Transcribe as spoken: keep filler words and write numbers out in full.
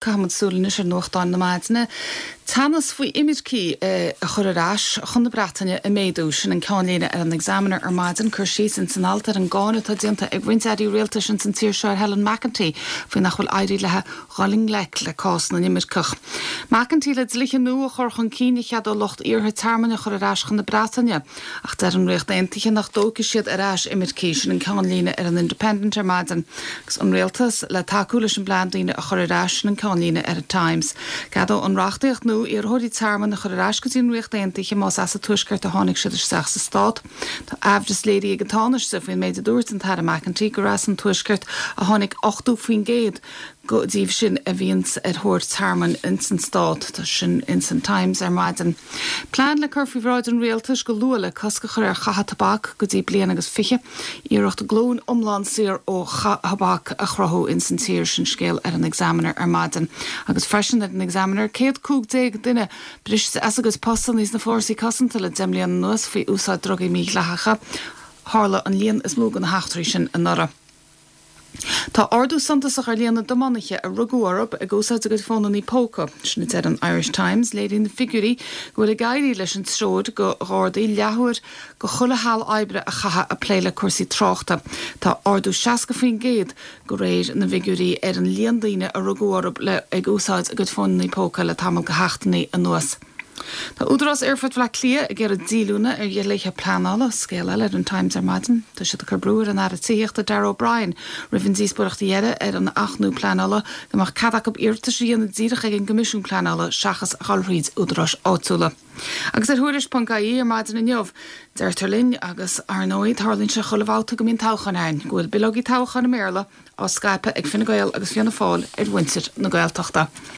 Caithfimid súil anois ar nuachtáin na maidine. Teannas faoi imircigh a chur ar ais chun na Breataine ag méadú sin an ceannlíne ar an Examiner ar maidin cur síos ins an alt ar an gcáineadh atá déanta ag roinnt airí rialtais ins an tír seo ar Helen McEntee faoi nach bhfuil éirithe léi dul i ngleic le cás na n-imirceach. McEntee le dlíthe nua a chur chun cinn a cheadódh lucht iarrtha tearmainn a chur ar ais chun na Breataine, ach deir an Ríocht Aontaithe nach dtógfaidh siad ar ais imircigh sin an ceannlíne ar an Independent ar maidin, agus an rialtas le tacú leis an bplean daoine a chur ar ais sin an ceannlíne ar an Times. Ceadóidh an reachtaíocht nua iarrthóirí tearmainn a chur ar ais go dtí an Ríocht Aontaithe más as an Tuaisceart a tháinig siad isteach sa stát. Tá aimhreas léirithe ag an Tánaiste faoin méid a dúirt an tAire McEntee gur as an Tuaisceart a tháinig ochtó faoin gcéad díobh sin a bhíonns ar thóir tearmainn ins an stát tá sin ins an Times ar maidin. Plean le cur faoi bhráid an rialtais go luath le cosc a chur ar chaitheamh tobac go dtí bliain agus fiche, iarracht glúin iomlán saor ó thobac a chruthú ins an tír sin scéal ar an Examiner ar maidin. Agus freisin ar an Examiner céad cúig déag duine briste as a gcuid postanna sna fórsaí cosanta le deich mbliana anuas faoi úsáid drugaí mídhleathacha. Tharla an líon is mó de na heachtraí sin anuraidh. Tá ardú suntasach ar líon na dtiománaithe a rugadh orthu ag úsáid a gcuid fónanna póca. Sin a deir an Irish Times léiríonn na figiúirí go bhfuil ag éirí leis an treoir do Ghardaí leathuair de chuile sheal oibre a chaitheamh ag plé le cúrsaí tráchta. Tá ardú seasca faoin gcéad de réir na bhfigiúirí ar an líon daoine a rugadh orthu le ag úsáid a gcuid fónanna póca le tamall de sheachtainí anuas. Tá Údarás Aerfort Bhaile Átha Cliath ag iarraidh díolúine ar dhlíthe pleanála scéal eile ar an Times ar maidin, Tá siad ag cur brú ar an Aire Tithíochta Darragh O'Brien roimh an díospóireacht dheiridh ar an acht nua pleanála go mbeadh cead acu iarratais a dhéanamh díreach ag an gCoimisiún Pleanála seachas dul thríd údaráis áitiúla. Agus ar tuairisc.ie ar maidin inniu, deirtear linn agus ar ndóigh tarlaíonn sé chuile bhabhta go mbíonn toghchán ann, go bhfuil bileogaí toghcháin i mBéarla á scaipeadh ag Fine Gael agus Fianna Fáil ar mhuintir na Gaeltachta.